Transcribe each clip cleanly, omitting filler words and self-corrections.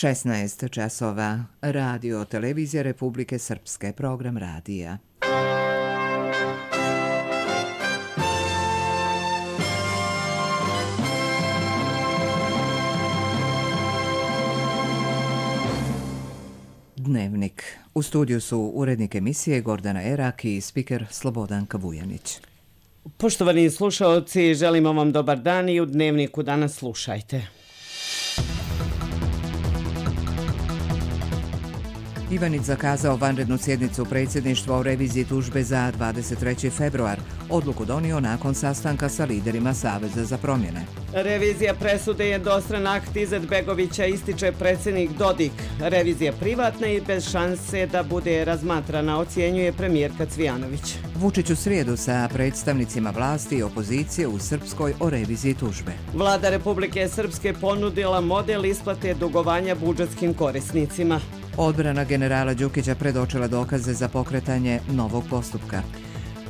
16 časova. Radio Televizija Republike Srpske. Program radija. Dnevnik. U studiju su urednik emisije Gordana Erak i spiker Slobodanka Vujanić. Poštovani slušaoci, želimo vam dobar dan i u Dnevniku danas slušajte. Ivanić zakazao vanrednu sjednicu predsjedništva o reviziji tužbe za 23. februar. Odluku donio nakon sastanka sa liderima Saveza za promjene. Revizija presude je jednostran akt Izetbegovića, ističe predsjednik Dodik. Revizija privatna i bez šanse da bude razmatrana, ocjenjuje premijerka Cvijanović. Vučić u srijedu sa predstavnicima vlasti i opozicije u Srpskoj o reviziji tužbe. Vlada Republike Srpske ponudila model isplate dugovanja budžetskim korisnicima. Odbrana generala Đukića predočila dokaze za pokretanje novog postupka.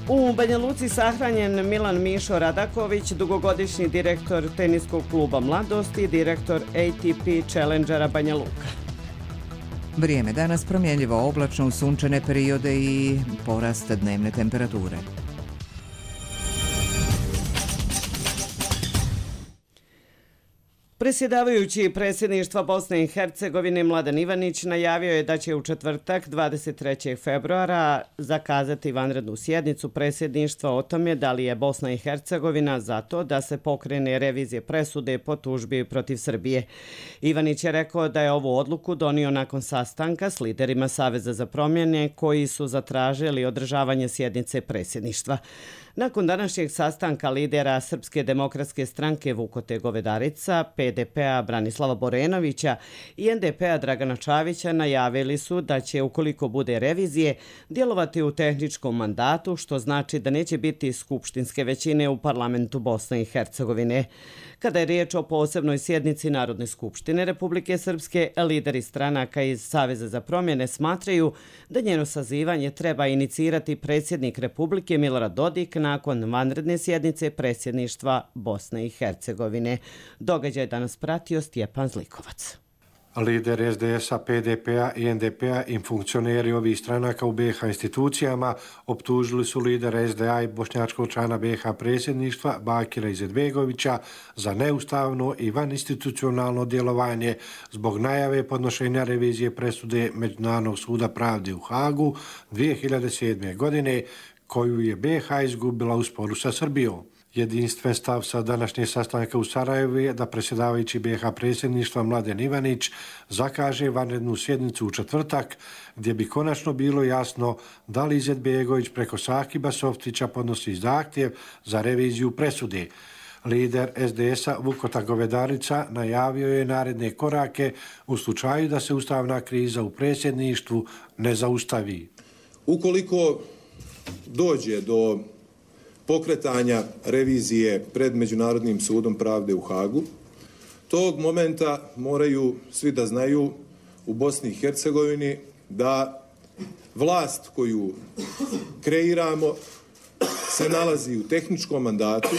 U Banja Luci sahranjen Milan Mišo Radaković, dugogodišnji direktor teniskog kluba Mladost i direktor ATP Challengera Banja Luka. Vrijeme danas promjenljivo, oblačno, uz sunčane periode i porast dnevne temperature. Predsjedavajući predsjedništva Bosne i Hercegovine Mladen Ivanić najavio je da će u četvrtak 23. februara zakazati vanrednu sjednicu predsjedništva o tome da li je Bosna i Hercegovina za to da se pokrene revizije presude po tužbi protiv Srbije. Ivanić je rekao da je ovu odluku donio nakon sastanka s liderima Saveza za promjene koji su zatražili održavanje sjednice predsjedništva. Nakon današnjeg sastanka lidera Srpske demokratske stranke Vukote Govedarica, PDP-a Branislava Borenovića i NDP-a Dragana Čavića najavili su da će, ukoliko bude revizije, djelovati u tehničkom mandatu, što znači da neće biti skupštinske većine u parlamentu Bosne i Hercegovine. Kada je riječ o posebnoj sjednici Narodne skupštine Republike Srpske, lideri stranaka iz Saveza za promjene smatraju da njeno sazivanje treba inicirati predsjednik Republike Milorad Dodik nakon vanredne sjednice predsjedništva Bosne i Hercegovine. Događaj danas pratio Stjepan Zlikovac. Lider SDS-a, PDP-a i NDP-a i funkcioneri ovih stranaka u BiH institucijama optužili su lidera SDA i bošnjačkog člana BiH predsjedništva Bakira Izetbegovića za neustavno i vaninstitucionalno djelovanje zbog najave podnošenja revizije presude Međunarodnog suda pravde u Hagu 2007. godine koju je BiH izgubila u sporu sa Srbijom. Jedinstven stav sa današnje sastanka u Sarajevu je da predsjedavajući BiH predsjedništva Mladen Ivanić zakaže vanrednu sjednicu u četvrtak gdje bi konačno bilo jasno da li Izetbegović preko Sakiba Softića podnosi zahtjev za reviziju presude. Lider SDS-a Vukota Govedarica najavio je naredne korake u slučaju da se ustavna kriza u predsjedništvu ne zaustavi. Ukoliko dođe do pokretanja revizije pred Međunarodnim sudom pravde u Hagu, tog momenta moraju svi da znaju u Bosni i Hercegovini da vlast koju kreiramo se nalazi u tehničkom mandatu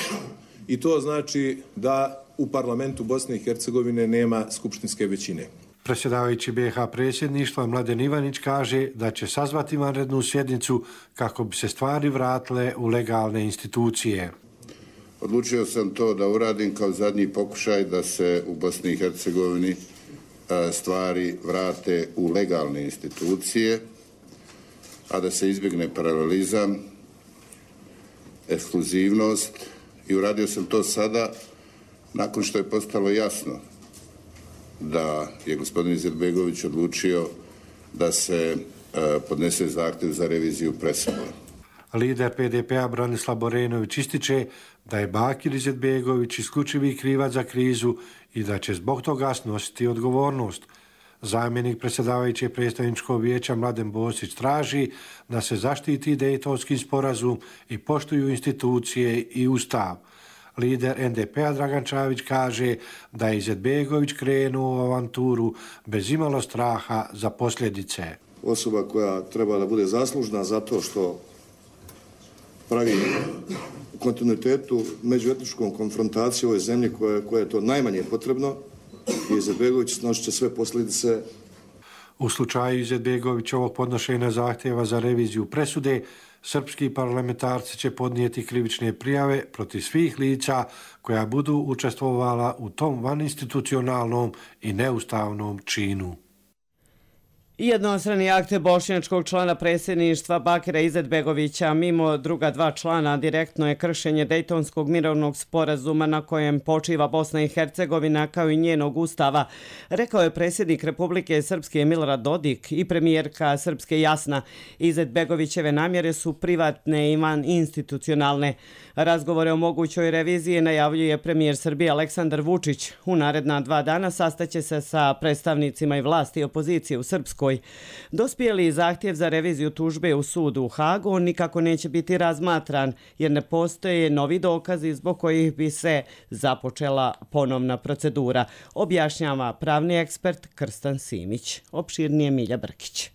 i to znači da u parlamentu Bosne i Hercegovine nema skupštinske većine. Predsjedavajući BiH predsjedništva Mladen Ivanić kaže da će sazvati vanrednu sjednicu kako bi se stvari vratile u legalne institucije. Odlučio sam to da uradim kao zadnji pokušaj da se u Bosni i Hercegovini stvari vrate u legalne institucije, a da se izbjegne paralelizam, ekskluzivnost i uradio sam to sada nakon što je postalo jasno da je gospodin Izetbegović odlučio da se podnese zahtjev za reviziju presude. Lider PDP-a Branislav Borenović ističe da je Bakir Izetbegović isključivi krivac za krizu i da će zbog toga snositi odgovornost. Zamjenik predsjedavajućeg predstavničkog vijeća Mladen Bosić traži da se zaštiti Dejtonski sporazum i poštuju institucije i ustav. Lider NDP-a Dragan Čavić kaže da je Izetbegović krenuo u avanturu bez imalo straha za posljedice. Osoba koja treba da bude zaslužna zato što pravi u kontinuitetu međuetničkom konfrontacijom ove zemlje koje je to najmanje potrebno, Izetbegović snosit će sve posljedice. U slučaju Izetbegovićovog podnošenja zahtjeva za reviziju presude, srpski parlamentarci će podnijeti krivične prijave protiv svih lica koja budu učestvovala u tom vaninstitucionalnom i neustavnom činu. Jednostrani akt bošnjačkog člana predsjedništva Bakira Izetbegovića mimo druga dva člana direktno je kršenje Dejtonskog mirovnog sporazuma na kojem počiva Bosna i Hercegovina kao i njenog ustava, rekao je predsjednik Republike Srpske Milorad Dodik i premijerka Srpske Jasna. Izetbegovićeve namjere su privatne i vaninstitucionalne. Razgovore o mogućoj reviziji najavljuje premijer Srbije Aleksandar Vučić. U naredna 2 dana sastaće se sa predstavnicima i vlasti i opozicije u Srpskoj. Dospjeli zahtjev za reviziju tužbe u sudu u Hagu nikako neće biti razmatran jer ne postoje novi dokazi zbog kojih bi se započela ponovna procedura, objašnjava pravni ekspert Krstan Simić. Opširnije Milja Brkić.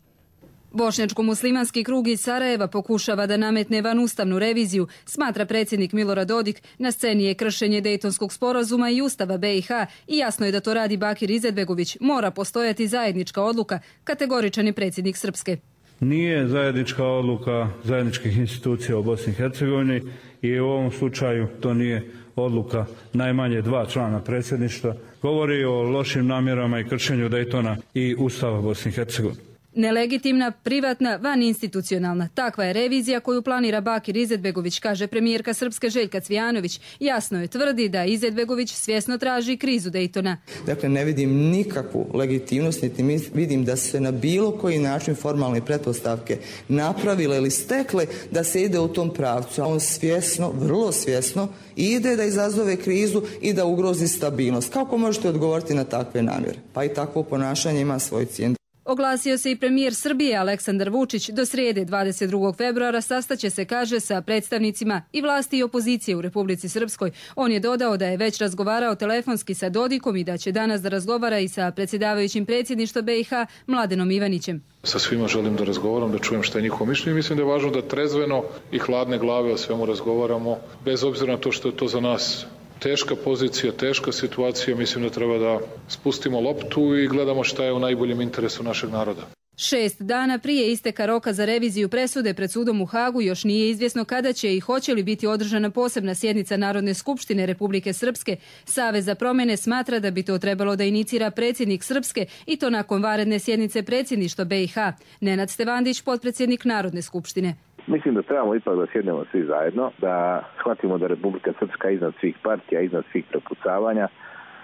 Bošnjačko-muslimanski krug iz Sarajeva pokušava da nametne vanustavnu reviziju, smatra predsjednik Milorad Dodik. Na sceni je kršenje Dejtonskog sporazuma i Ustava BiH i jasno je da to radi Bakir Izetbegović. Mora postojati zajednička odluka, kategoričan je predsjednik Srpske. Nije zajednička odluka zajedničkih institucija u Bosni i Hercegovini i u ovom slučaju to nije odluka najmanje 2 člana predsjedništva. Govori o lošim namjerama i kršenju Dejtona i Ustava Bosne i Hercegovine. Nelegitimna, privatna, vaninstitucionalna. Takva je revizija koju planira Bakir Izetbegović, kaže premijerka Srpske Željka Cvijanović. Jasno je tvrdi da Izetbegović svjesno traži krizu Dejtona. Dakle, ne vidim nikakvu legitimnost, niti vidim da se na bilo koji način formalne pretpostavke napravile ili stekle da se ide u tom pravcu. On svjesno, vrlo svjesno, ide da izazove krizu i da ugrozi stabilnost. Kako možete odgovoriti na takve namjere? Pa i takvo ponašanje ima svoj cijenu. Oglasio se i premijer Srbije Aleksandar Vučić. Do srijede 22. februara sastaće se, kaže, sa predstavnicima i vlasti i opozicije u Republici Srpskoj. On je dodao da je već razgovarao telefonski sa Dodikom i da će danas da razgovara i sa predsjedavajućim predsjedništva BiH Mladenom Ivanićem. Sa svima želim da razgovaram, da čujem šta je njihovo mišljenje. Mislim da je važno da trezveno i hladne glave o svemu razgovaramo, bez obzira na to što je to za nas teška pozicija, teška situacija. Mislim da treba da spustimo loptu i gledamo šta je u najboljem interesu našeg naroda. 6 dana prije isteka roka za reviziju presude pred sudom u Hagu još nije izvjesno kada će i hoće li biti održana posebna sjednica Narodne skupštine Republike Srpske. Savez za promjene smatra da bi to trebalo da inicira predsjednik Srpske i to nakon vanredne sjednice predsjedništva BiH. Nenad Stevandić, potpredsjednik Narodne skupštine. Mislim da trebamo ipak da sjednemo svi zajedno, da shvatimo da Republika Srpska iznad svih partija, iznad svih prepucavanja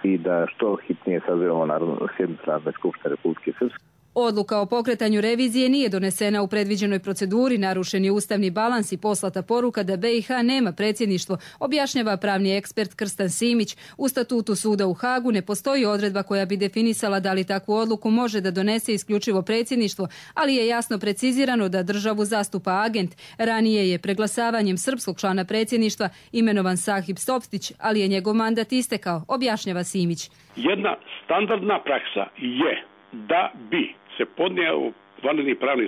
i da što hitnije sazivamo sjednicu Narodne skupštine Republike Srpske. Odluka o pokretanju revizije nije donesena u predviđenoj proceduri, narušen je ustavni balans i poslata poruka da BiH nema predsjedništvo, objašnjava pravni ekspert Krstan Simić. U statutu suda u Hagu ne postoji odredba koja bi definisala da li takvu odluku može da donese isključivo predsjedništvo, ali je jasno precizirano da državu zastupa agent. Ranije je preglasavanjem srpskog člana predsjedništva imenovan Sahib Soptić, ali je njegov mandat istekao, objašnjava Simić. Jedna standardna praksa je da bi se podnio vanredni pravni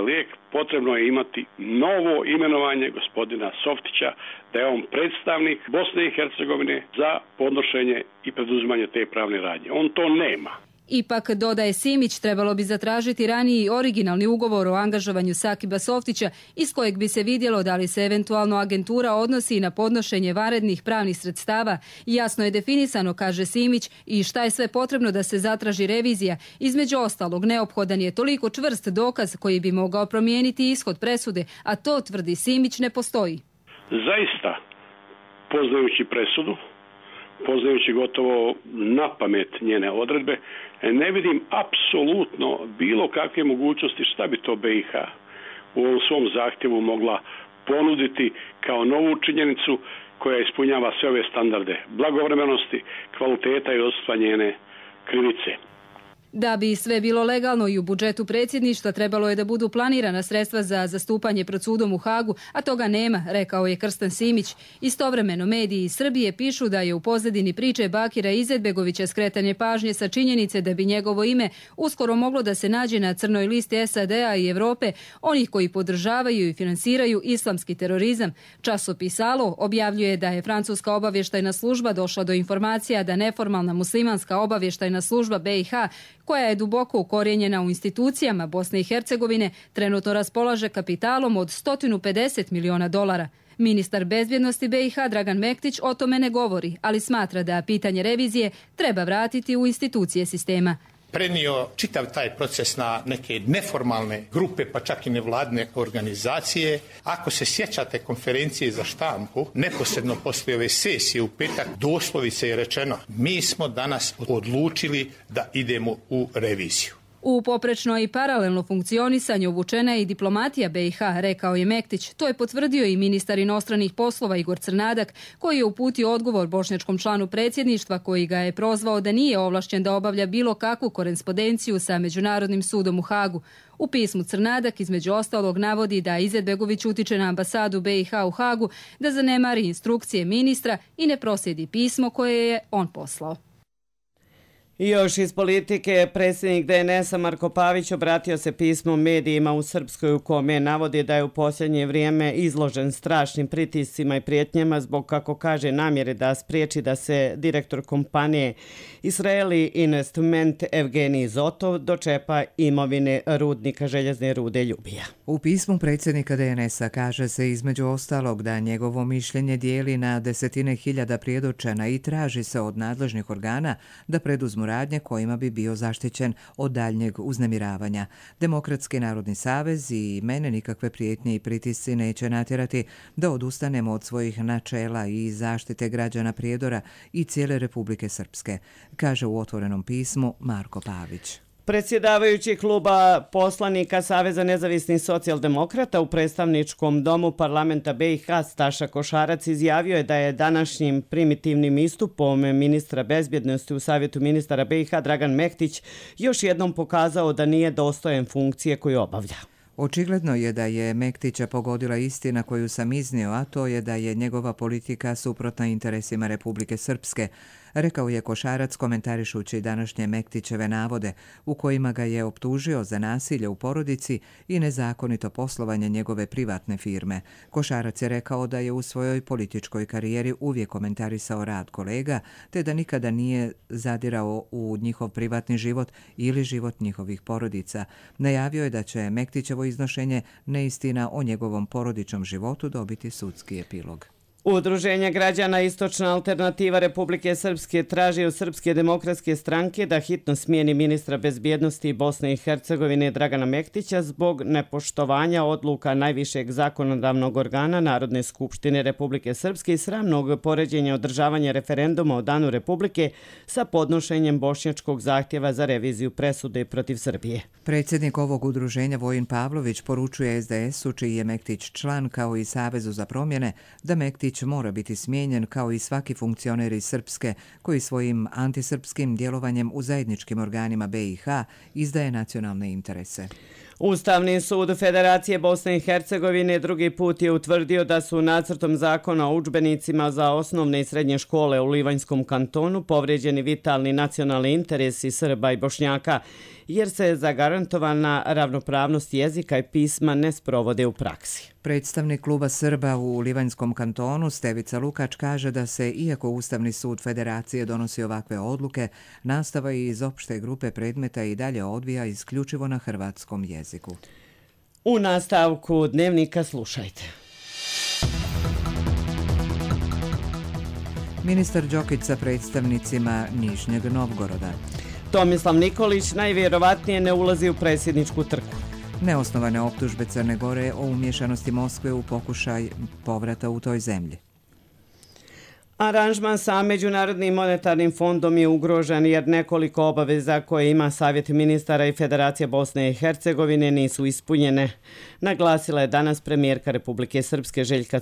lijek, potrebno je imati novo imenovanje gospodina Softića, da je on predstavnik Bosne i Hercegovine za podnošenje i preduzimanje te pravne radnje. On to nema. Ipak, dodaje Simić, trebalo bi zatražiti raniji originalni ugovor o angažovanju Sakiba Softića iz kojeg bi se vidjelo da li se eventualno agentura odnosi na podnošenje vanrednih pravnih sredstava. Jasno je definisano, kaže Simić, i šta je sve potrebno da se zatraži revizija. Između ostalog, neophodan je toliko čvrst dokaz koji bi mogao promijeniti ishod presude, a to, tvrdi Simić, ne postoji. Zaista, poznajući presudu, poznajući gotovo na pamet njene odredbe, ne vidim apsolutno bilo kakve mogućnosti šta bi to BiH u ovom svom zahtjevu mogla ponuditi kao novu činjenicu koja ispunjava sve ove standarde blagovremenosti, kvaliteta i odstva njene krivice. Da bi sve bilo legalno i u budžetu predsjedništva trebalo je da budu planirana sredstva za zastupanje pred sudom u Hagu, a toga nema, rekao je Krstan Simić. Istovremeno mediji iz Srbije pišu da je u pozadini priče Bakira Izetbegovića skretanje pažnje sa činjenice da bi njegovo ime uskoro moglo da se nađe na crnoj listi SAD-a i Evrope, onih koji podržavaju i finansiraju islamski terorizam. Časopis Alo objavljuje da je francuska obavještajna služba došla do informacija da neformalna muslimanska obavještajna služba BiH, koja je duboko ukorijenjena u institucijama Bosne i Hercegovine, trenutno raspolaže kapitalom od $150 miliona. Ministar bezbjednosti BiH Dragan Mektić o tome ne govori, ali smatra da pitanje revizije treba vratiti u institucije sistema. Prenio čitav taj proces na neke neformalne grupe, pa čak i nevladne organizacije. Ako se sjećate konferencije za štampu, neposredno poslije ove sesije u petak, doslovice je rečeno: mi smo danas odlučili da idemo u reviziju. U poprečno i paralelno funkcionisanje uvučena je i diplomatija BiH, rekao je Mektić. To je potvrdio i ministar inostranih poslova Igor Crnadak, koji je uputio odgovor bošnjačkom članu predsjedništva, koji ga je prozvao da nije ovlašćen da obavlja bilo kakvu korespondenciju sa Međunarodnim sudom u Hagu. U pismu Crnadak između ostalog navodi da Izetbegović utiče na ambasadu BiH u Hagu da zanemari instrukcije ministra i ne proslijedi pismo koje je on poslao. I još iz politike, predsjednik DNS-a Marko Pavić obratio se pismom medijima u Srpskoj u kome navodi da je u posljednje vrijeme izložen strašnim pritiscima i prijetnjama zbog, kako kaže, namjere da spriječi da se direktor kompanije Israeli Investment Evgenij Zotov dočepa imovine rudnika željezne rude Ljubija. U pismu predsjednika DNS-a kaže se između ostalog da njegovo mišljenje dijeli na desetine hiljada prijedočena i traži se od nadležnih organa da preduzmu radnje kojima bi bio zaštićen od daljnjeg uznemiravanja. Demokratski narodni savez i mene nikakve prijetnje i pritisci neće natjerati da odustanemo od svojih načela i zaštite građana Prijedora i cijele Republike Srpske, kaže u otvorenom pismu Marko Pavić. Predsjedavajući kluba poslanika Saveza nezavisnih socijaldemokrata u predstavničkom domu parlamenta BiH Staša Košarac izjavio je da je današnjim primitivnim istupom ministra bezbjednosti u Savjetu ministara BiH Dragan Mektić još jednom pokazao da nije dostojan funkcije koju obavlja. Očigledno je da je Mektića pogodila istina koju sam iznio, a to je da je njegova politika suprotna interesima Republike Srpske, rekao je Košarac komentarišući današnje Mektićeve navode u kojima ga je optužio za nasilje u porodici i nezakonito poslovanje njegove privatne firme. Košarac je rekao da je u svojoj političkoj karijeri uvijek komentarisao rad kolega, te da nikada nije zadirao u njihov privatni život ili život njihovih porodica. Najavio je da će Mektićevo iznošenje neistina o njegovom porodičnom životu dobiti sudski epilog. Udruženje građana Istočna alternativa Republike Srpske traži od Srpske demokratske stranke da hitno smijeni ministra bezbjednosti Bosne i Hercegovine Dragana Mektića zbog nepoštovanja odluka najvišeg zakonodavnog organa Narodne skupštine Republike Srpske i sramnog poređenja održavanja referenduma o Danu Republike sa podnošenjem bošnjačkog zahtjeva za reviziju presude protiv Srbije. Predsjednik ovog udruženja Vojin Pavlović poručuje SDS-u, čiji je Mektić član, kao i Savezu za promjene, da Mektić mora biti smijenjen kao i svaki funkcioner iz Srpske koji svojim antisrpskim djelovanjem u zajedničkim organima BiH izdaje nacionalne interese. Ustavni sud Federacije Bosne i Hercegovine drugi put je utvrdio da su nacrtom zakona o udžbenicima za osnovne i srednje škole u Livanjskom kantonu povrijeđeni vitalni nacionalni interesi Srba i Bošnjaka, jer se zagarantovana ravnopravnost jezika i pisma ne sprovode u praksi. Predstavnik kluba Srba u Livanjskom kantonu Stevica Lukač kaže da se, iako Ustavni sud Federacije donosi ovakve odluke, nastava iz opšte grupe predmeta i dalje odvija isključivo na hrvatskom jeziku. U nastavku dnevnika slušajte. Ministar Đokić sa predstavnicima Nižnjeg Novgoroda. Tomislav Nikolić najvjerovatnije ne ulazi u predsjedničku trku. Neosnovane optužbe Crne Gore o umješanosti Moskve u pokušaj povrata u toj zemlji. Aranžman sa Međunarodnim monetarnim fondom je ugrožen jer nekoliko obaveza koje ima Savjet ministara i Federacija Bosne i Hercegovine nisu ispunjene. Naglasila je danas premijerka Republike Srpske Željka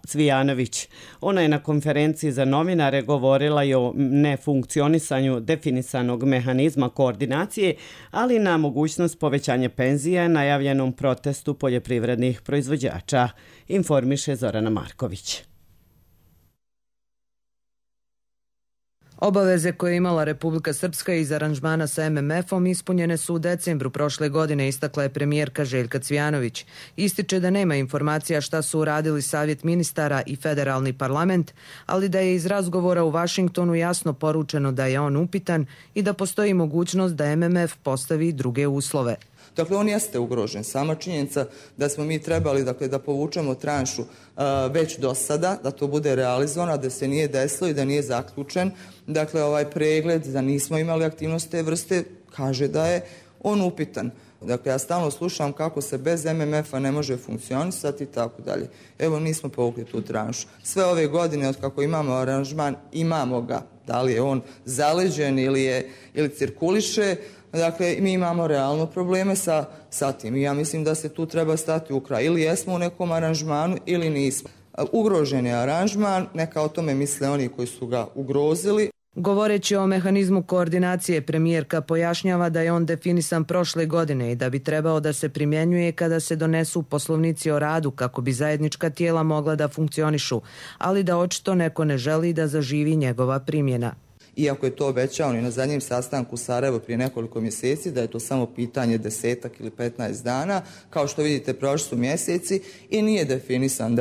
Cvijanović. Ona je na konferenciji za novinare govorila i o nefunkcionisanju definisanog mehanizma koordinacije, ali na mogućnost povećanja penzija najavljenom protestu poljoprivrednih proizvođača, informiše Zorana Marković. Obaveze koje je imala Republika Srpska iz aranžmana sa MMF-om ispunjene su u decembru prošle godine, istakla je premijerka Željka Cvijanović. Ističe da nema informacija šta su uradili Savjet ministara i Federalni parlament, ali da je iz razgovora u Vašingtonu jasno poručeno da je on upitan i da postoji mogućnost da MMF postavi druge uslove. Dakle, on jeste ugrožen. Sama činjenica da smo mi trebali da povučemo tranšu već do sada, da to bude realizovano, da se nije desilo i da nije zaključen. Dakle, ovaj pregled, da nismo imali aktivnost te vrste, kaže da je on upitan. Dakle, ja stalno slušam kako se bez MMF-a ne može funkcionisati i tako dalje. Evo, nismo povukli tu tranšu. Sve ove godine, od kako imamo aranžman, imamo ga. Da li je on zaleđen ili cirkuliše, dakle, mi imamo realno probleme sa tim. I ja mislim da se tu treba stati u kraj. Ili jesmo u nekom aranžmanu ili nismo. Ugrožen je aranžman, neka o tome misle oni koji su ga ugrozili. Govoreći o mehanizmu koordinacije, premijerka pojašnjava da je on definisan prošle godine i da bi trebao da se primjenjuje kada se donesu poslovnici o radu kako bi zajednička tijela mogla da funkcionišu, ali da očito neko ne želi da zaživi njegova primjena. Iako je to obećao i na zadnjem sastanku u Sarajevu prije nekoliko mjeseci, da je to samo pitanje 10 ili 15 dana, kao što vidite prošli su mjeseci i nije definisan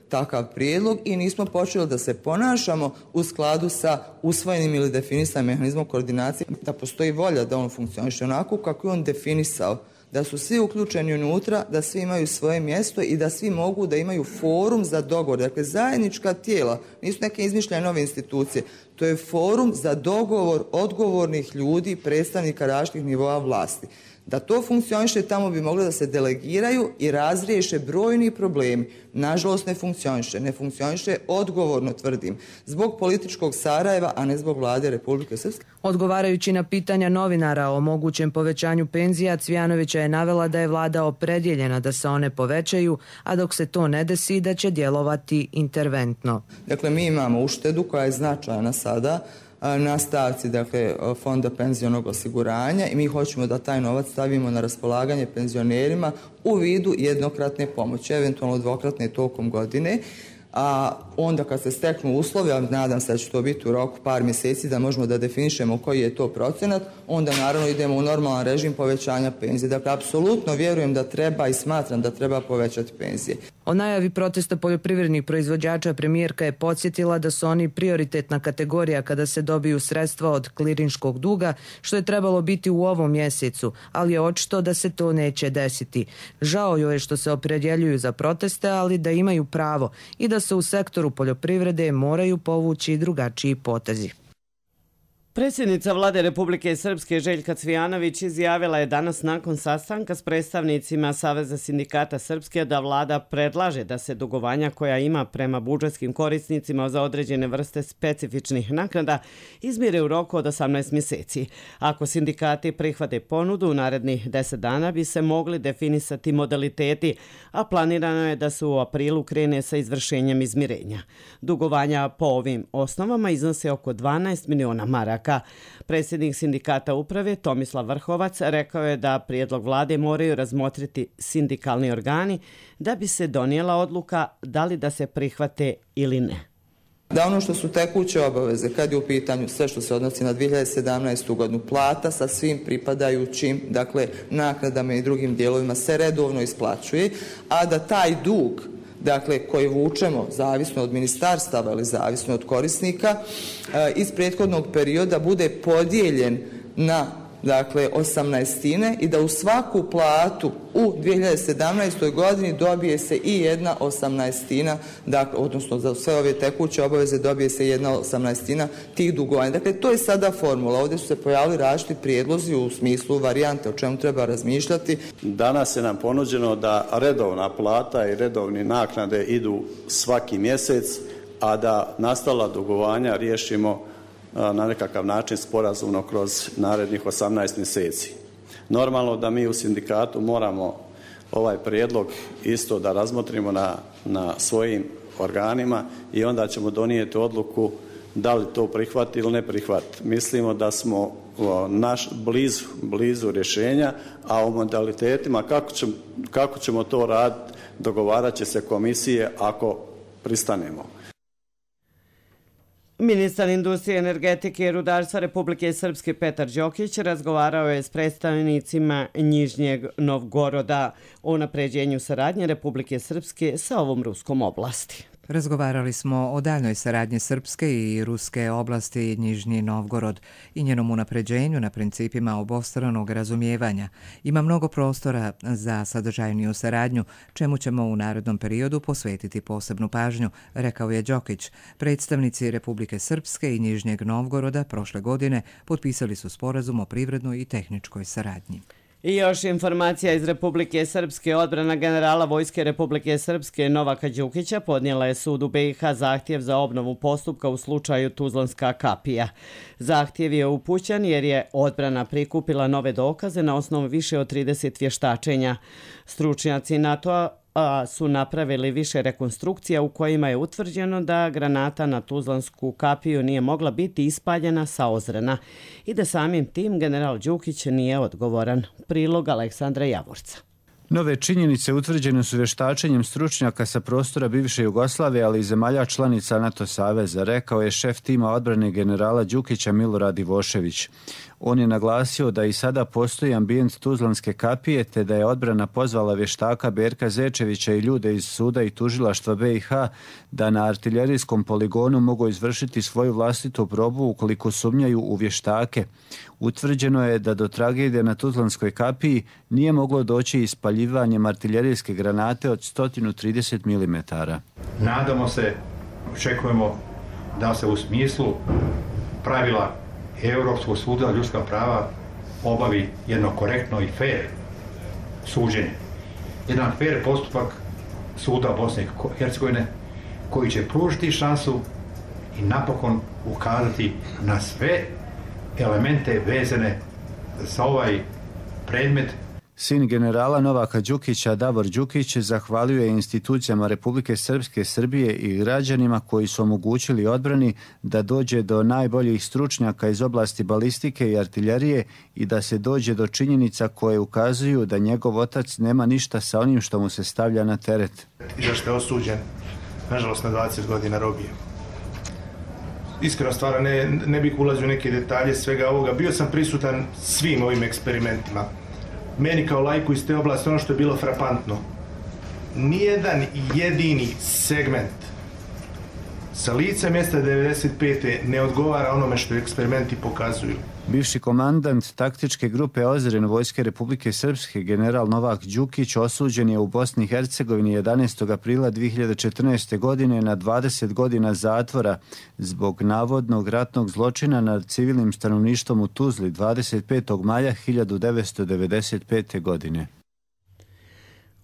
takav prijedlog i nismo počeli da se ponašamo u skladu sa usvojenim ili definisanim mehanizmom koordinacije, da postoji volja da on funkcioniše onako kako je on definisao, da su svi uključeni unutra, da svi imaju svoje mjesto i da svi mogu da imaju forum za dogovor. Dakle, zajednička tijela, nisu neke izmišljene nove institucije, to je forum za dogovor odgovornih ljudi, predstavnika različitih nivoa vlasti. Da to funkcioniše, tamo bi moglo da se delegiraju i razriješe brojni problemi. Nažalost, ne funkcioniše. Ne funkcioniše, odgovorno tvrdim, zbog političkog Sarajeva, a ne zbog vlade Republike Srpske. Odgovarajući na pitanja novinara o mogućem povećanju penzija, Cvijanovića je navela da je vlada opredjeljena da se one povećaju, a dok se to ne desi da će djelovati interventno. Dakle, mi imamo uštedu koja je značajna sada na stavci Fonda penzionog osiguranja i mi hoćemo da taj novac stavimo na raspolaganje penzionerima u vidu jednokratne pomoći, eventualno dvokratne tokom godine, a onda kad se steknu uslovi, a nadam se da će to biti u roku par mjeseci da možemo da definišemo koji je to procenat, onda naravno idemo u normalan režim povećanja penzije. Dakle, apsolutno vjerujem da treba i smatram da treba povećati penzije. O najavi protesta poljoprivrednih proizvođača premijerka je podsjetila da su oni prioritetna kategorija kada se dobiju sredstva od klirinškog duga, što je trebalo biti u ovom mjesecu, ali je očito da se to neće desiti. Žao joj je što se opredjeljuju za proteste, ali da imaju pravo i da se u sektoru poljoprivrede moraju povući drugačiji potezi. Predsjednica vlade Republike Srpske Željka Cvijanović izjavila je danas nakon sastanka s predstavnicima Saveza sindikata Srpske da vlada predlaže da se dugovanja koja ima prema budžetskim korisnicima za određene vrste specifičnih naknada izmire u roku od 18 mjeseci. Ako sindikati prihvate ponudu, u narednih 10 dana bi se mogli definisati modaliteti, a planirano je da se u aprilu krene sa izvršenjem izmirenja. Dugovanja po ovim osnovama iznose oko 12 miliona maraka. Predsjednik sindikata uprave Tomislav Vrhovac rekao je da prijedlog vlade moraju razmotriti sindikalni organi da bi se donijela odluka da li da se prihvate ili ne. Da ono što su tekuće obaveze, kad je u pitanju sve što se odnosi na 2017. godinu, plata sa svim pripadajućim, naknadama i drugim dijelovima se redovno isplaćuje, a da taj dug koji vučemo, zavisno od ministarstava ili zavisno od korisnika, iz prethodnog perioda bude podijeljen na 18 i da u svaku platu u 2017. godini dobije se i 1/18, odnosno za sve ove tekuće obaveze dobije se 1/18 tih dugovanja. Dakle, to je sada formula. Ovdje su se pojavili različiti prijedlozi u smislu varijante o čemu treba razmišljati. Danas je nam ponuđeno da redovna plata i redovne naknade idu svaki mjesec a da nastala dugovanja riješimo na nekakav način sporazumno kroz narednih 18 mjeseci. Normalno da mi u sindikatu moramo ovaj prijedlog isto da razmotrimo na svojim organima i onda ćemo donijeti odluku da li to prihvati ili ne prihvati. Mislimo da smo blizu rješenja, a o modalitetima kako ćemo to raditi dogovarat će se komisije ako pristanemo. Ministar industrije, energetike i rudarstva Republike Srpske Petar Đokić razgovarao je s predstavnicima Nižnjeg Novgoroda o unapređenju saradnje Republike Srpske sa ovom ruskom oblasti. Razgovarali smo o daljnoj saradnji Srpske i Ruske oblasti Nižnji Novgorod i njenom unapređenju na principima obostranog razumijevanja. Ima mnogo prostora za sadržajniju saradnju, čemu ćemo u narednom periodu posvetiti posebnu pažnju, rekao je Đokić. Predstavnici Republike Srpske i Nižnjeg Novgoroda prošle godine potpisali su sporazum o privrednoj i tehničkoj saradnji. I još informacija iz Republike Srpske. Odbrana generala Vojske Republike Srpske Novaka Đukića podnijela je sudu BiH zahtjev za obnovu postupka u slučaju Tuzlanska kapija. Zahtjev je upućen jer je odbrana prikupila nove dokaze na osnovu više od 30 vještačenja. Stručnjaci NATO-a su napravili više rekonstrukcija u kojima je utvrđeno da granata na Tuzlansku kapiju nije mogla biti ispaljena sa Ozrena i da samim tim general Đukić nije odgovoran. Prilog Aleksandra Javorca. Nove činjenice utvrđene su vještačenjem stručnjaka sa prostora bivše Jugoslavije, ali i zemalja članica NATO saveza, rekao je šef tima odbrane generala Đukića Milorad Ivošević. On je naglasio da i sada postoji ambijent Tuzlanske kapije, te da je odbrana pozvala vještaka Berka Zečevića i ljude iz suda i tužilaštva BiH da na artiljerijskom poligonu mogu izvršiti svoju vlastitu probu ukoliko sumnjaju u vještake. Utvrđeno je da do tragedije na Tuzlanskoj kapiji nije moglo doći ispaljivanjem artiljerijske granate od 130 mm. Nadamo se, očekujemo da se u smislu pravila Europskog suda za ljudska prava obavi jedno korektno i fair suđenje. Jedan fair postupak suda Bosne i Hercegovine koji će pružiti šansu i napokon ukazati na sve elemente vezane za ovaj predmet. Sin generala Novaka Đukića, Davor Đukić, zahvalio je institucijama Republike Srpske, Srbije i građanima koji su omogućili odbrani da dođe do najboljih stručnjaka iz oblasti balistike i artiljerije i da se dođe do činjenica koje ukazuju da njegov otac nema ništa sa onim što mu se stavlja na teret. I zašto je osuđen, nažalost, na 20 godina robije. Iskreno stvar, ne bih ulazio u neke detalje svega ovoga. Bio sam prisutan svim ovim eksperimentima. Meni kao laiku iz te oblasti ono što je bilo frapantno, nijedan jedini segment sa lica mjesta 95. ne odgovara onome što eksperimenti pokazuju. Bivši komandant taktičke grupe Ozren Vojske Republike Srpske general Novak Đukić osuđen je u Bosni i Hercegovini 11. aprila 2014. godine na 20 godina zatvora zbog navodnog ratnog zločina nad civilnim stanovništvom u Tuzli 25. maja 1995. godine.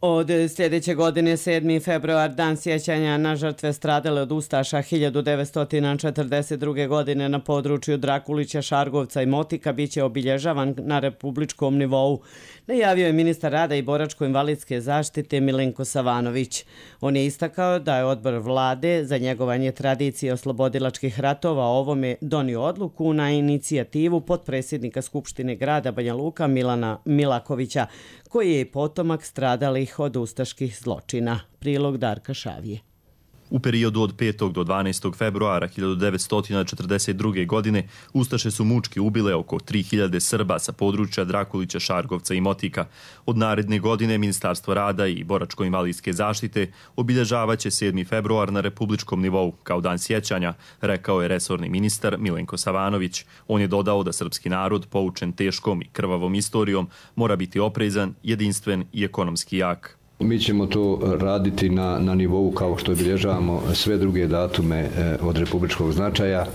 Od sljedeće godine, 7. februar, dan sjećanja na žrtve stradale od ustaša 1942. godine na području Drakulića, Šargovca i Motika biće obilježavan na republičkom nivou, najavio je ministar rada i boračko-invalidske zaštite Milenko Savanović. On je istakao da je odbor vlade za njegovanje tradicije oslobodilačkih ratova o ovome donio odluku na inicijativu potpredsjednika Skupštine grada Banja Luka Milana Milakovića, koji je potomak stradalih od ustaških zločina. Prilog Darka Šavije. U periodu od 5. do 12. februara 1942. godine ustaše su mučki ubile oko 3000 Srba sa područja Drakulića, Šargovca i Motika. Od naredne godine Ministarstvo rada i boračko-invalidske zaštite obilježavaće 7. februar na republičkom nivou kao dan sjećanja, rekao je resorni ministar Milenko Savanović. On je dodao da srpski narod, poučen teškom i krvavom istorijom, mora biti oprezan, jedinstven i ekonomski jak. Mi ćemo to raditi na nivou kao što obilježavamo sve druge datume od republičkog značaja,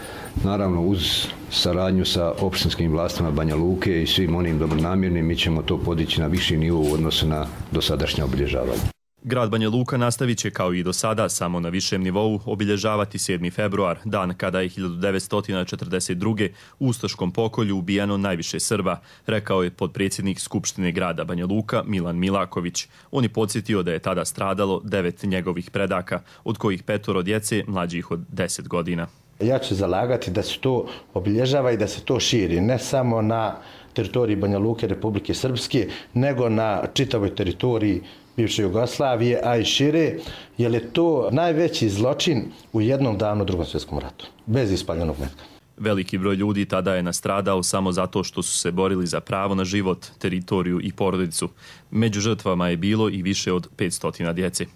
naravno uz saradnju sa opštinskim vlastima Banja Luke i svim onim dobronamjernim, mi ćemo to podići na viši nivo u odnosu na dosadašnje obilježavanje. Grad Banja Luka nastavit će kao i do sada samo na višem nivou obilježavati 7. februar, dan kada je 1942. u ustaškom pokolju ubijano najviše Srba, rekao je potpredsjednik Skupštine grada Banja Luka Milan Milaković. On je podsjetio da je tada stradalo 9 njegovih predaka, od kojih 5 djece mlađih od 10 godina. Ja ću zalagati da se to obilježava i da se to širi, ne samo na teritoriji Banja Luke, Republike Srpske, nego na čitavoj teritoriji bivše Jugoslavije, a i šire, jer je to najveći zločin u jednom danu u Drugom svjetskom ratu, bez ispaljenog metka. Veliki broj ljudi tada je nastradao samo zato što su se borili za pravo na život, teritoriju i porodicu. Među žrtvama je bilo i više od 500 djece.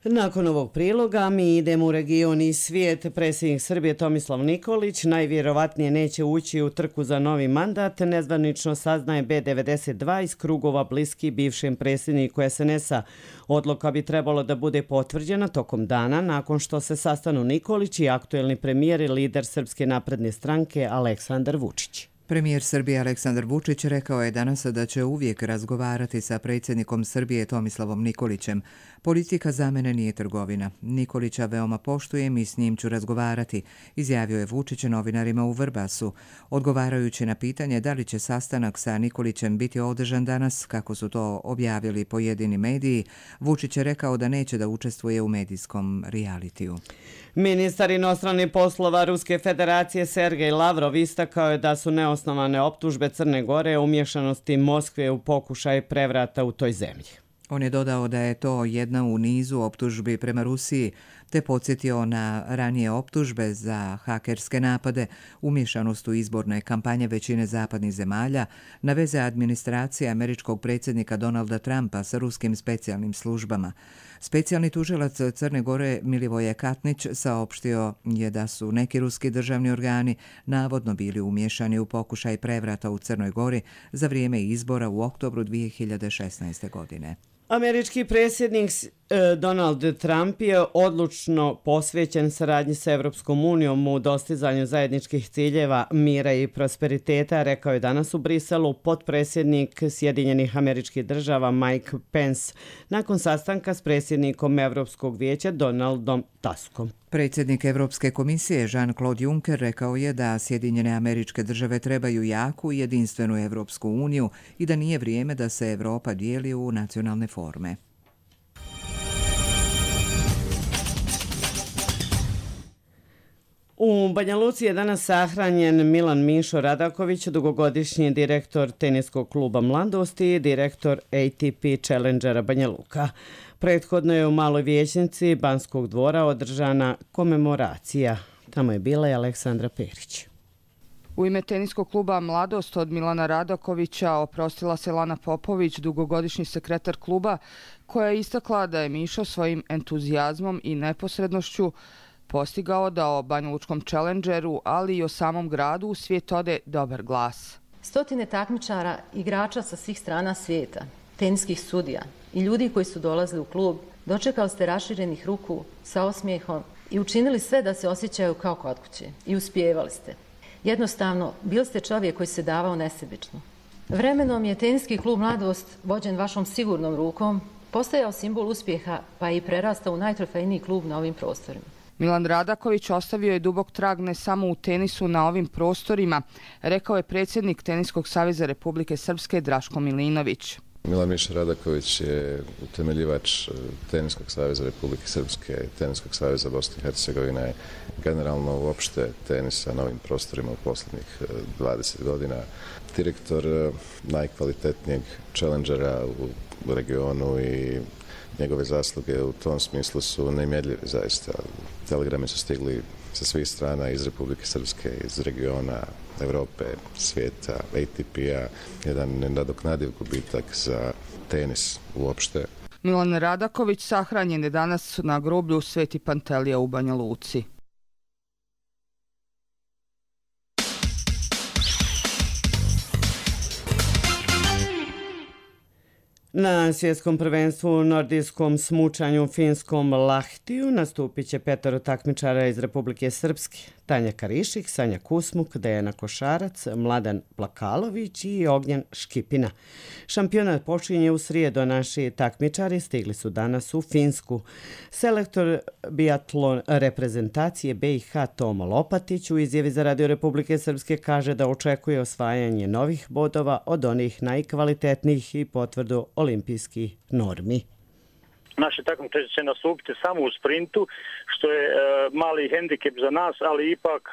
Nakon ovog priloga mi idemo u region i svijet. Predsjednik Srbije Tomislav Nikolić najvjerovatnije neće ući u trku za novi mandat, nezvanično saznaje B92 iz krugova bliski bivšem predsjedniku SNS-a. Odluka bi trebalo da bude potvrđena tokom dana nakon što se sastanu Nikolić i aktuelni premijer i lider Srpske napredne stranke Aleksandar Vučić. Premijer Srbije Aleksandar Vučić rekao je danas da će uvijek razgovarati sa predsjednikom Srbije Tomislavom Nikolićem. Politika za mene nije trgovina. Nikolića veoma poštujem i s njim ću razgovarati, izjavio je Vučić novinarima u Vrbasu. Odgovarajući na pitanje da li će sastanak sa Nikolićem biti održan danas, kako su to objavili pojedini mediji, Vučić je rekao da neće da učestvuje u medijskom realitiju. Ministar inostranih poslova Ruske federacije Sergej Lavrov istakao je da su neosnovane optužbe Crne Gore o umješanosti Moskve u pokušaj prevrata u toj zemlji. On je dodao da je to jedna u nizu optužbi prema Rusiji, te podsjetio na ranije optužbe za hakerske napade, umješanost u izborne kampanje većine zapadnih zemalja, na veze administracije američkog predsjednika Donalda Trumpa sa ruskim specijalnim službama. Specijalni tužilac Crne Gore Milivoje Katnić saopštio je da su neki ruski državni organi navodno bili umješani u pokušaj prevrata u Crnoj Gori za vrijeme izbora u oktobru 2016. godine. Američki predsjednik Donald Trump je odlučno posvećen saradnji sa Evropskom unijom u dostizanju zajedničkih ciljeva mira i prosperiteta, rekao je danas u Briselu potpredsjednik Sjedinjenih Američkih Država Mike Pence nakon sastanka s predsjednikom Evropskog vijeća Donaldom Tuskom. Predsjednik Evropske komisije Jean-Claude Juncker rekao je da Sjedinjene Američke Države trebaju jaku i jedinstvenu Evropsku uniju i da nije vrijeme da se Evropa dijeli u nacionalne forme. U Banja Luci je danas sahranjen Milan Mišo Radaković, dugogodišnji direktor teniskog kluba Mladosti i direktor ATP Challengera Banja Luka. Prethodno je u Maloj vijećnici Banskog dvora održana komemoracija. Tamo je bila i Aleksandra Perić. U ime teniskog kluba Mladost od Milana Radakovića oprostila se Lana Popović, dugogodišnji sekretar kluba, koja je istakla da je Mišo svojim entuzijazmom i neposrednošću postigao da o banjalučkom Challengeru, ali i o samom gradu u svijet ode dobar glas. Stotine takmičara, igrača sa svih strana svijeta, teniskih sudija i ljudi koji su dolazili u klub, dočekali ste raširenih ruku sa osmijehom i učinili sve da se osjećaju kao kod kuće. I uspijevali ste. Jednostavno, bili ste čovjek koji se davao nesebično. Vremenom je teniski klub Mladost, vođen vašom sigurnom rukom, postajao simbol uspjeha pa je i prerastao u najtrofejniji klub na ovim prostorima. Milan Radaković ostavio je dubok trag ne samo u tenisu na ovim prostorima, rekao je predsjednik Teniskog saveza Republike Srpske Draško Milinović. Milan Miša Radaković je utemeljivač Teniskog saveza Republike Srpske, Teniskog saveza Bosne i Hercegovine, generalno uopšte tenisa na ovim prostorima u posljednjih 20 godina. Direktor najkvalitetnijeg challengera u regionu i njegove zasluge u tom smislu su nemjerljive zaista. Telegrami su stigli sa svih strana iz Republike Srpske, iz regiona, Evrope, svijeta, ATP-a, jedan nenadoknadiv gubitak za tenis uopšte. Milan Radaković sahranjen je danas na groblju Sveti Pantelija u Banja Luci. Na svjetskom prvenstvu u nordijskom smučanju u finskom Lahtiju nastupit će 5 takmičara iz Republike Srpske. Tanja Karišik, Sanja Kusmuk, Dejana Košarac, Mladan Plakalović i Ognjen Škipina. Šampionat počinje u srijedu, naši takmičari stigli su danas u Finsku. Selektor biatlon reprezentacije BiH Tomo Lopatić u izjavi za Radio Republike Srpske kaže da očekuje osvajanje novih bodova od onih najkvalitetnijih i potvrdu olimpijskih normi. Naši takmičari će nastupiti samo u sprintu, što je mali hendikep za nas, ali ipak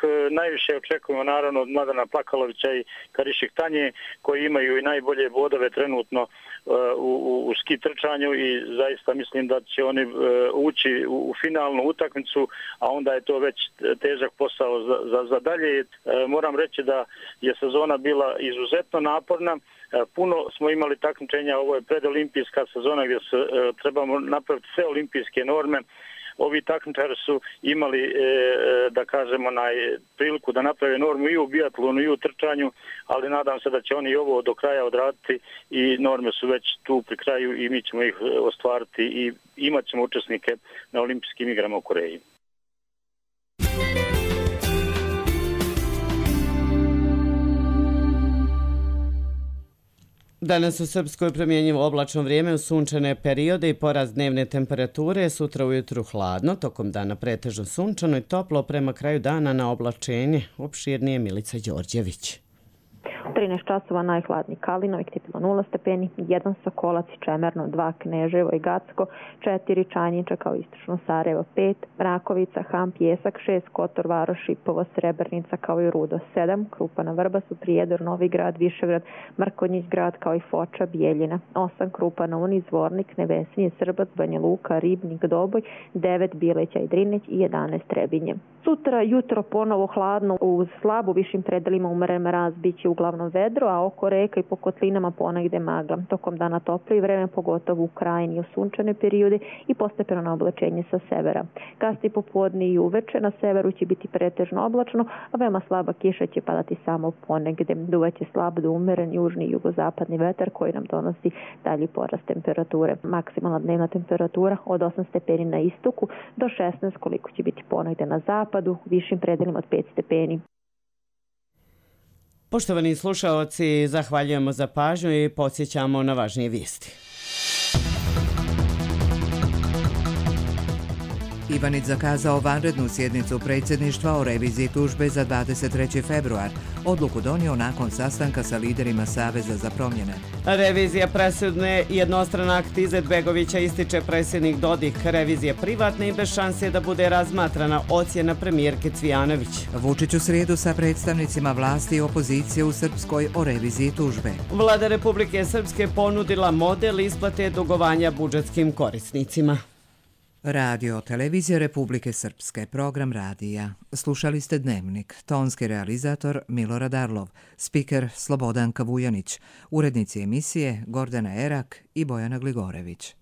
najviše očekujemo naravno od Mladana Plakalovića i Karišik Tanje, koji imaju i najbolje bodove trenutno u ski trčanju i zaista mislim da će oni ući u finalnu utakmicu, a onda je to već težak posao za dalje. Moram reći da je sezona bila izuzetno naporna. Puno smo imali takmičenja, ovo je predolimpijska sezona gdje trebamo napraviti sve olimpijske norme. Ovi takmičari su imali, da kažemo, priliku da naprave normu i u biatlonu i u trčanju, ali nadam se da će oni i ovo do kraja odraditi i norme su već tu pri kraju i mi ćemo ih ostvariti i imat ćemo učesnike na olimpijskim igrama u Koreji. Danas u Srpskoj promjenjivo oblačno vrijeme u sunčane periode i porast dnevne temperature, sutra ujutru hladno, tokom dana pretežno sunčano i toplo, prema kraju dana na oblačenje. Opširnije Milica Đorđević. 13 časova najhladniji Kalinovik, tipilo 0 stepeni, 1 Sokolac i Čemerno, 2 Kneževo i Gacko, 4 Čanjiča kao istočno Sarajevo, 5 Rakovica, Ham, Pjesak, 6 Kotor, Varoš, Šipovo, Srebrnica kao i Rudo, 7 Krupana, Vrbasu, Prijedor, Novi Grad, Višegrad, Mrkonjić grad kao i Foča, Bijeljina, 8 Krupana, Uni, Zvornik, Nevesinje, Srbac, Banja Luka, Ribnik, Doboj, 9 Bileća i Drineć i 11 Trebinje. Sutra jutro ponovo hladno, uz slabu višim predelima umeren mraz biće uglavnom vedro, a oko reka i po kotlinama ponegde magla. Tokom dana toplije vreme, pogotovo u krajini i u sunčane periode i postepeno na oblačenje sa severa. Kasnije popodne i uveče na severu će biti pretežno oblačno, a veoma slaba kiša će padati samo ponegde. Duvaće slab do umeren južni i jugozapadni vetar koji nam donosi dalji porast temperature. Maksimalna dnevna temperatura od 8 stepeni na istoku do 16 koliko će biti ponegde na zapadu, višim predelima od 5 stepeni. Poštovani slušaoci, zahvaljujemo za pažnju i podsjećamo na važnije vijesti. Ivanić zakazao vanrednu sjednicu predsjedništva o reviziji tužbe za 23. februar. Odluku donio nakon sastanka sa liderima Saveza za promjene. Revizija presudne jednostran akt Izetbegovića ističe predsjednik Dodik. Revizija privatna i bez šanse da bude razmatrana, ocjena premijerke Cvijanović. Vučić u srijedu sa predstavnicima vlasti i opozicije u Srpskoj o reviziji tužbe. Vlada Republike Srpske ponudila model isplate dugovanja budžetskim korisnicima. Radio Televizija Republike Srpske, program radija. Slušali ste Dnevnik, tonski realizator Milorad Arlov, spiker Slobodanka Vujanić, urednici emisije Gordana Erak i Bojana Gligorević.